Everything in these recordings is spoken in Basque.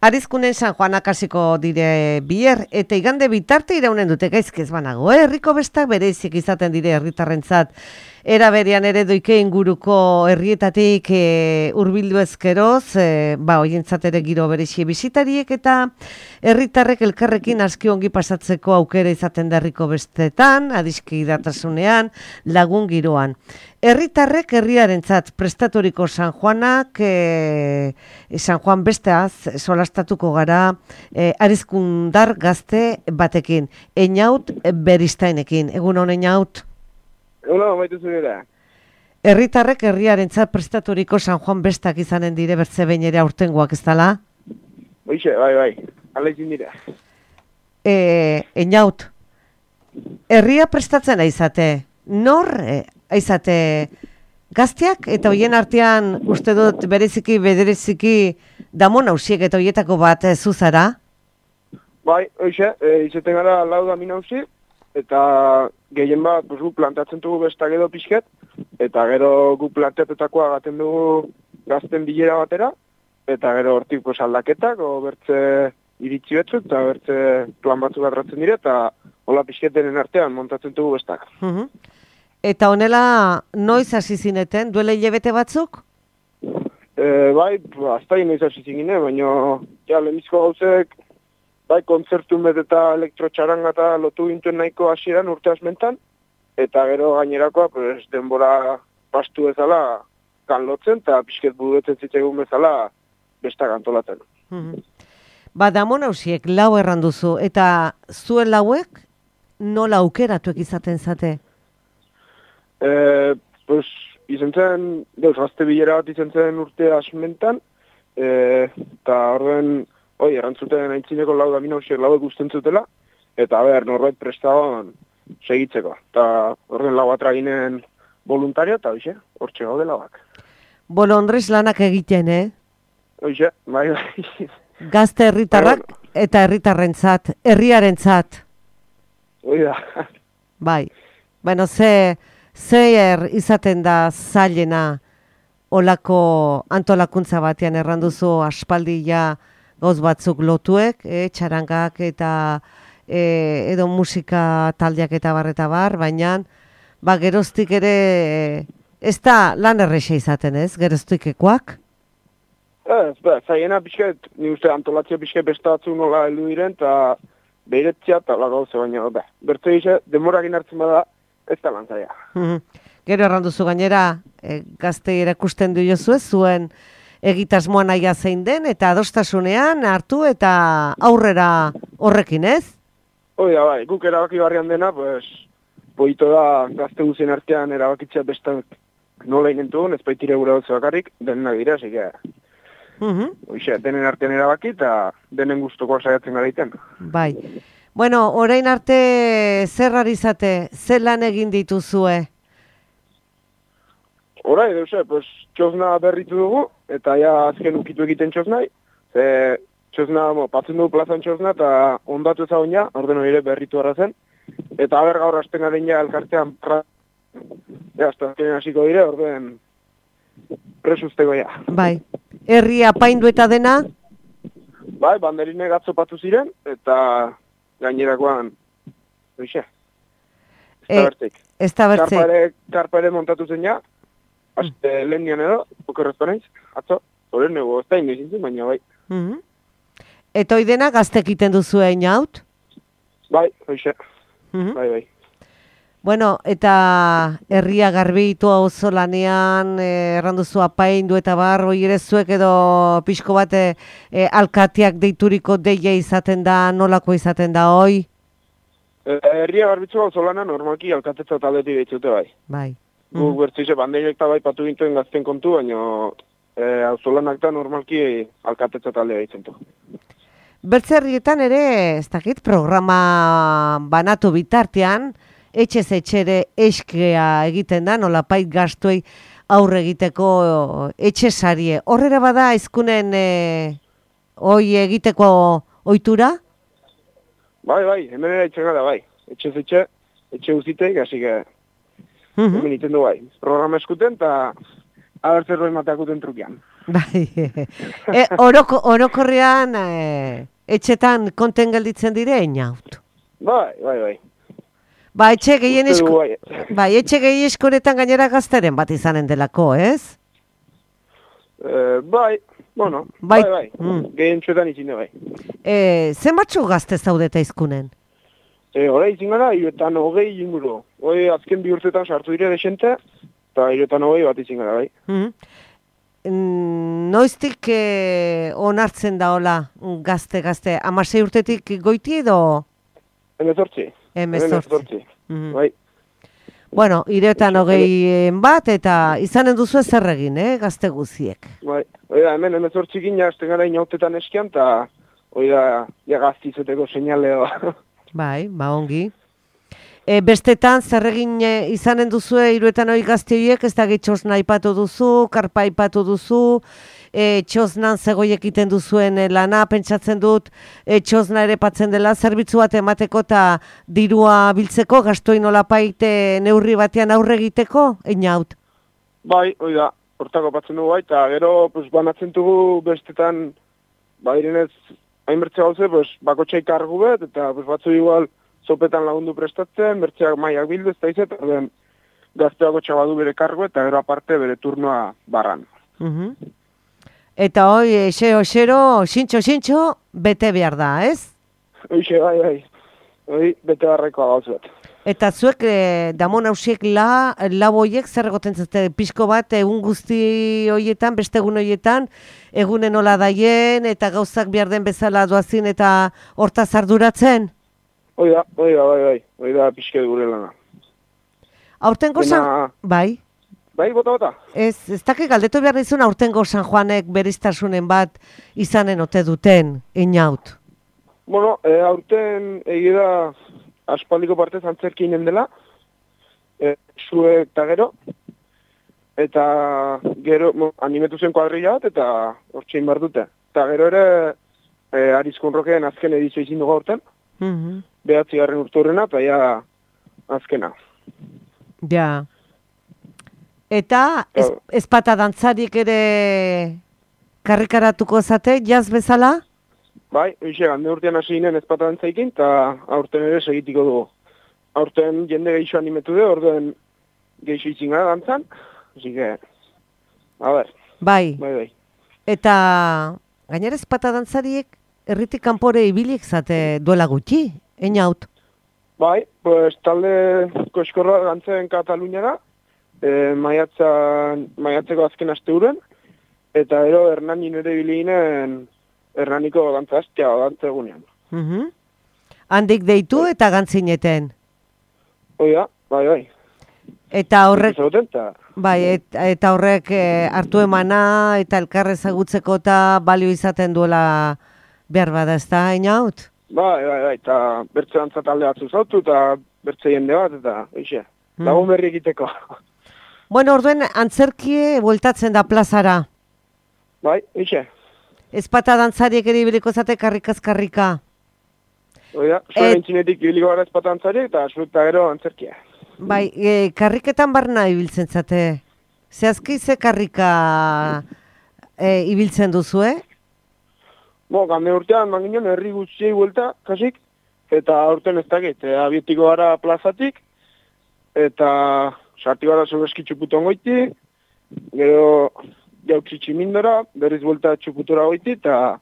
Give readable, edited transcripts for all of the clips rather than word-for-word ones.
Arizkunen San Juanak hasiko dire bier, eta igande bitarte iraunen dute gaizkez banago, herriko bestak bereizik izaten dire herritarrentzat. Era berean ere doike inguruko herrietatik hurbildu ezkeroz, hoientzat ere giro berexi bisitariek eta herritarrek elkarrekin aski ongi pasatzeko aukera izaten da herriko bestetan, adiskidatasunean, lagun giroan. Herritarrek herriarentzat prestaturiko San Juanak, San Juan besteaz solastatuko gara Arizkundar gazte batekin, Einaut Beristainekin. Egun hon Einaut? Egun hon, baitu zurera. Herritarrek herriarentzat prestaturiko San Juan bestak izanen dire bertze behin ere aurtengoak ez dala? Hoixe, bai, ala izin dira. Einaut, herria prestatzen aizate, nor aizate gazteak eta hoien artean uste dut bereziki damon hausiek eta hoietako bat zuzara? Bai, hoixe, izaten gara lau damin hausi, eta gehien bat gu plantatzen dugu bestak edo pixket, eta gero gu plantatetakoa gaten dugu gazten bilera batera, eta gero hortik aldaketak, bertze iritzi batzuk, eta bertze plan batzuk atratzen dire, eta hola pixketenen artean montatzen dugu bestak. Eta honela noiz hasi zineten, duela hilabete batzuk? Bai, aztai noiz hasi zingine, baina lehenbizko gauzek, bai, kontzertu met eta elektrotxaranga eta lotu gintuen nahiko hasieran urte asmentan, eta gero gainerakoa denbora pastu bezala kanlotzen, eta pixket buruetzen zitzegun bezala bestak antolatzen. Damon hausiek lau erranduzu, eta zuen lauek nola aukeratuek izaten zate? Izen zen, gazte bilera bat izen zen urte asmentan, eta horren, erantzuten aintzineko lau damin hausiek lauek usten zutela, eta norbait prestaban segitzeko. Eta horren lau atraginen voluntario, eta hortxe gaude lauak. Bolondrez lanak egiten, Hoxe, bai. Gazte herritarrak eta herritarrentzat, herriarentzat. Hoi da. Bai. Bueno, zer izaten da zailena olako antolakuntza batean erranduzu aspaldi gauz batzuk lotuek, txarangak eta edo musika taldeak eta bar, baina geroztik ere ez da lan erresa izaten ez, geroztikekoak? Zaiena pixket, ni uste antolatzea pixket beste batzu nola heldu diren, eta behiretzia eta lagauze baina, bertze gise, demorakin hartzen bada, ez da lan zaila. Gero erranduzu gainera, gazte erakusten du jozu ez, zuen egitasmoa nahia zein den, eta adostasunean hartu eta aurrera horrekin ez? Hoi da, bai, guk erabaki barrian dena, boito da gazte guzien artean erabakitzea bestak nola inentugun, ez baitire gura dutze bakarrik, denak dira, zike. Hoxe, denen artean erabaki eta denen gustukoak saiatzen gara iten. Bai. Bueno, orain arte zer ari zate, zer lan egin dituzue? Horai, txosna berritu dugu, eta azken ukitu egiten txosnai. Txosna, patzen dugu plazan txosna, eta ondatu ezagun orden hori berritu arrazen. Eta gaur hasten garen elkartean hasta azkenen hasiko dire, orden presusteko Bai. Herria apaindu eta dena? Bai, banderinek atzopatu ziren, eta gainerakoan, hoxe. Ez da bertzik. Karpare montatu zen lehen nian edo, okerrezko naiz, atzo, horren nego, ez da inoizintzen, baina bai. Eta hoi dena gaztek iten duzu Einaut? Bai, hoxe, bai. Bueno, eta herria garbitu auzo lanean, erranduzu apaindu eta bar, hoi ere zuek edo pixko bat alkateak deituriko deia izaten da, nolako izaten da, hoi? Herria garbitzu auzo lana normalki alkatetza taldeti deitzute bai. Bai. Guk bertzize bandeinek eta bai patu gintuen gazten kontu, baina auzo lanak da normalki alkatetza taldea deitzen du. Bertze herrietan ere, ez dakit, programa banatu bitartean, etxez etxere eskea egiten da, nolapait gastuei aurre egiteko etxesarie. Horrera bada izkunen hoi egiteko ohitura? Bai, hemen ere etxen gara bai. Etxez etxe guziteik, hasi que hemen iten du bai. Programa eskuten eta abertzerroi mateakuten trukian. Bai, orokorrean etxetan konten gelditzen dire, inaut. Bai. Ba, etxe gehien Uste dugu bai. bai, etxe gehien eskoretan gainera gazteren bat izanen delako, ez? Bai, bueno, Bai. bai. Gehien txuetan izine bai. Zenbatxu gazte zaudeta izkunen? Hora izin gara, 20 inguru. Hoi azken 2 urtetan sartu dire desente, eta 20 bat izin gara bai. Noiztik onartzen da hola gazte, 16 urtetik goiti edo? 18. Bai. Bueno, 20 bat eta izanen duzu zer egin, gazte guziek. Bai, hemen 18 gina hasten gara inautetan eskian, eta hoi da, gaztizeteko seinaleo. Bai, ba ongi. Bestetan, zer egin izanen duzu 20 gazte horiek, ez da txosna aipatu duzu, karpa aipatu duzu, txosnan zegoiek egiten duzuen lana, pentsatzen dut, txosna ere patzen dela, zerbitzu bat emateko eta dirua biltzeko, gastoin olapait neurri batean aurre egiteko, einaut? Bai, hoi da, hortako patzen dugu bai, eta gero banatzen dugu bestetan, irenez, hainbertze gauze, bakotxai kargu bet, eta batzu igual zopetan lagundu prestatzen, bertzeak maiak bildu, ez da izet, gazteako txabadu bere kargu, eta gero aparte bere turnoa barran. Eta hoi, xero, xintxo, bete behar da, ez? Hoixe, bai. Hoi, bete barrekoa gauzu bat. Eta zuek, damon hausiek laboiek zer egoten zute, pixko bat, egun guzti hoietan, beste egun hoietan, egunen hola daien, eta gauzak behar den bezala doazin, eta hortaz arduratzen? Hoi da, pixke gure lana. Aurtengo San... Bai? Bai, bota. Ez dakik galdetu behar nizun aurtengo San Juanek beriztasunen bat izanen ote duten, inaut? Bueno, aurten egira aspaldiko partez antzerkinen dela, zuek eta gero, eta gero animetu zen kuadrilla bat, eta hortxein behar dute. Eta gero ere, Arizkun Rokeen azken edizio izin dugu aurten, 9. urte horrena, eta ja azkena. Ja. Eta ezpata dantzarik ere karrikaratuko zate, jaz bezala? Bai, gande urtean hasi ginen ezpata dantzaikin, eta aurten ere segitiko dugu. Aurten jende geixo animetu du, orduen geixo izin gara dantzan, hasi que, a ber. Bai. Eta gainera ezpata dantzariek herritik kanpore ibilik zate duela gutxi, einaut? Bai, talde koskorra dantzen Kataluniara, maiatzeko azken aste uren, eta ero Hernanin ere biliginen Hernaniko gantzaztia gantze egunean. Handik deitu eta gantzineten? Hoi da, bai. Eta horrek... eta horrek hartu emana eta elkarre ezagutzeko eta balio izaten duela behar bada, ez da, inaut? Bai, eta bertze dantza talde batzu zautu, eta bertze jende bat, eta eixe, lagun berri egiteko. Bueno, orduen antzerkie bueltatzen da plazara. Bai, eixe. Ezpata dantzariek ere ibiliko zate karrikaz-karrika. Oida, zuen entzinetik ibiliko gara ezpata dantzariek, eta zueta gero antzerkia. Bai, karriketan barna ibiltzen zate. Zehazki ze karrika ibiltzen duzu, Gande urtean, manginen, herri gutxiei buelta, kasik, eta aurten ez dakit, abietiko gara plazatik, eta sarti gara sobreski txuputon goiti, gero jautzi tximindora, berriz buelta txuputura goiti, eta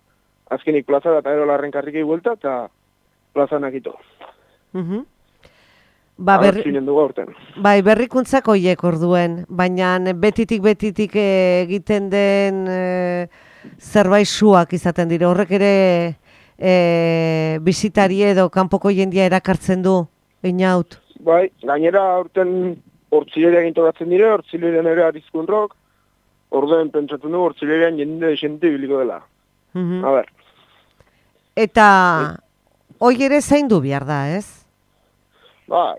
azkenik plaza eta gero larren karrikei buelta, eta plaza nakito. Bai, berrikuntzak hoiek orduen, baina betitik egiten den zerbait suak izaten dira. Horrek ere bisitari edo kanpoko jendia erakartzen du, einaut? Bai, gainera aurten hortzileria gintoratzen dire, hortzilerian ere Arizkun Rok, orduen pentsatzen du hortzilerian jende biliko dela. A ber. Eta hoi ere zaindu behar da, ez? Bai.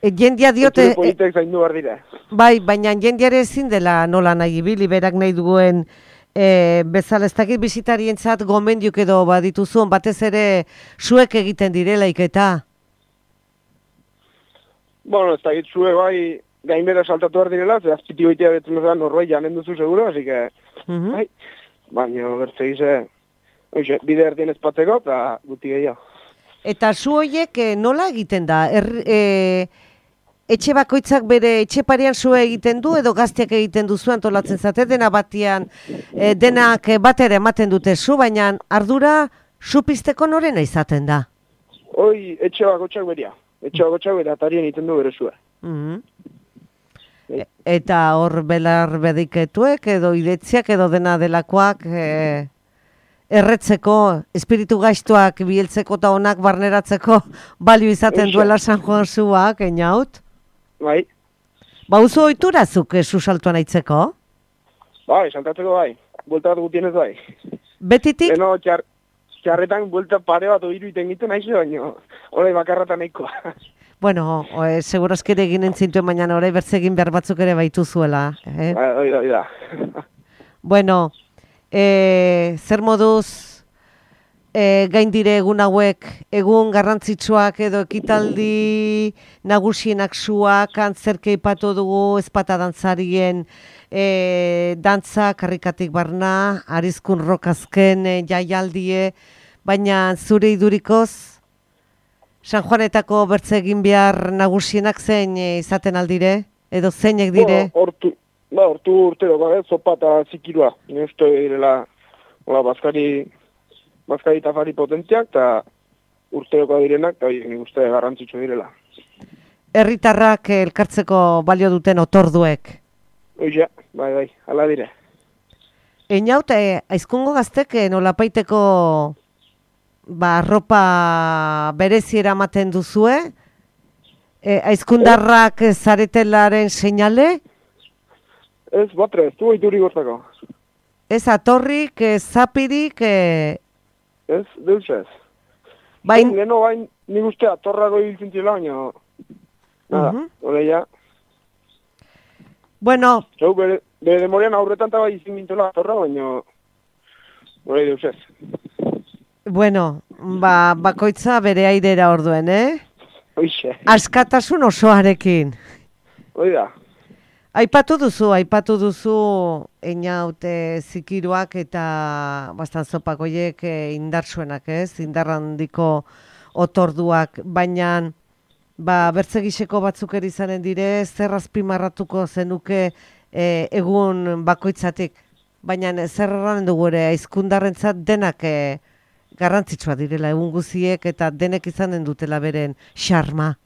Jendia diote... Politek zaindu behar dira. Bai, baina jendiare ezin dela nola nahi ibili, berak nahi duen bezala, ez dakit bisitarientzat gomendiuk edo badituzun, batez ere zuek egiten direlaik eta... Bueno, ez dakit zuek bai gainbera saltatu behar direla, ze azpiti goitea betzen bezala norbait janen duzu seguro, así que, bai, baina bertzegize, bide erdien ezpatzeko, eta guti gehiago. Eta zu horiek nola egiten da? Etxe bakoitzak bere etxe parean zua egiten du edo gazteak egiten duzu antolatzen zate, dena batian, denak batera ematen dute zu, baina ardura zu pizteko norena izaten da? Hoi, etxe bakotxak beria. Etxe bakotxak beria atarien egiten du bere zua. Eta hor belar bediketuek edo idetziak edo dena delakoak erretzeko, espiritu gaiztuak biheltzeko eta onak barneratzeko balio izaten duela San Juan zuak, einaut? Bai. Ba, uzu oiturazuk zu saltuan aitzeko? Bai, saltatzeko bai. Buelta bat gutienez bai. Betitik? Beno, txarretan buelta pare bat oiru iten egiten naiz, baina orai bakarratan nahikoa. Bueno, segurazki ere egin entzintuen, baina orai bertze egin behar batzuk ere baitu zuela. Bai da. Bueno, zer moduz gain dire egun hauek, egun garrantzitsuak edo ekitaldi nagusienak zuak, antzerke ipatu dugu, ezpata dantzarien dantza, karrikatik barna, arizkun rokazken jaialdie, baina zure idurikoz, San Juanetako bertze egin behar nagusienak zein izaten aldire, edo zeinek dire? Hortu urtero, zopa eta zikirua. Neuzto direla, bazkari tafari potentziak, eta urteroko direnak, eta nik uste garrantzitsu direla. Herritarrak elkartzeko balio duten otorduek? Oia, bai, ala dire. Einaut, aizkungo gaztek nolapaiteko arropa bereziera ematen duzue? Aizkundarrak zaretelaren seinale? Ez, batre, ez du oituri gozako. Ez atorrik, ez zapirik? Ez, deus ez. Leno bain, nik uste atorrago hiltzen zila, baina... Nada, oleia. Bueno... Zau, bere demorian aurretan eta bai izin gintola atorra, baina... Olei deus ez. Bueno, bakoitza bere airera orduen, Hoixe. Askatasun osoarekin. Hoi da. Aipatu duzu, einaute zikiruak eta bastan zopakoiek indartsuenak, ez? Indarrandiko otorduak, baina bertzegiseko batzuk izanen dire, zer azpimarratuko zenuke egun bakoitzatik, baina zer erran dugu ere, aizkundarrentzat denak garrantzitsua direla egun guziek eta denek izanen dutela beren xarma.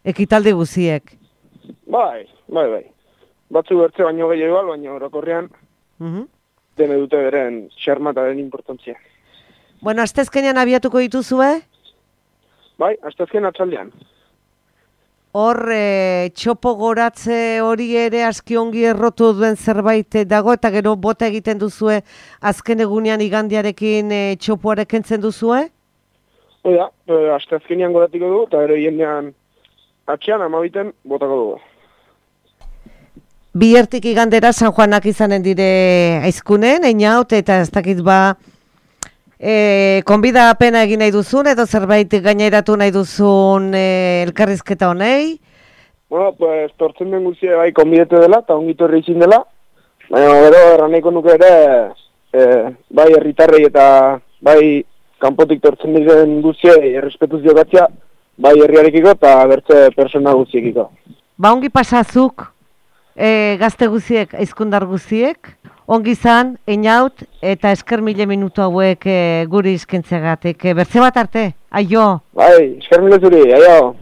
Ekitaldi guziek. Bai. Batzu bertze baino gehiago, baina orokorrean dene dute beren xarma eta den importantzia. Bueno, astezkenean abiatuko dituzue? Bai, astezken atzaldean. Hor, txopo goratze hori ere aski ongi errotu duen zerbait dago, eta gero bota egiten duzue azken egunean igandiarekin txopoarek entzen duzue? Oida, astezkenean goratiko dugu, eta gero jendean atxean amabiten botako dugu. Biertik igandera San Juanak izanen dire aizkunen, einaut, eta ez dakit konbida apena egin nahi duzun, edo zerbait gaineratu nahi duzun elkarrizketa honei? Bueno, pues, tortzen den guztia bai konbidete dela, eta ongitu herri izin dela, baina gero erraneiko nuke ere, bai herritarrei eta bai kanpotik tortzen diren guztiei errespetuz jokatzea, bai herriarekiko eta bertze persona guztiekiko. Ongi pasazuk, gazte guziek, aizkundar guziek, ongi zan, einaut, eta esker 1000 minutu hauek guri izkentzeagatik. Bertze bat arte, aio! Bai, esker mile zuri, aio!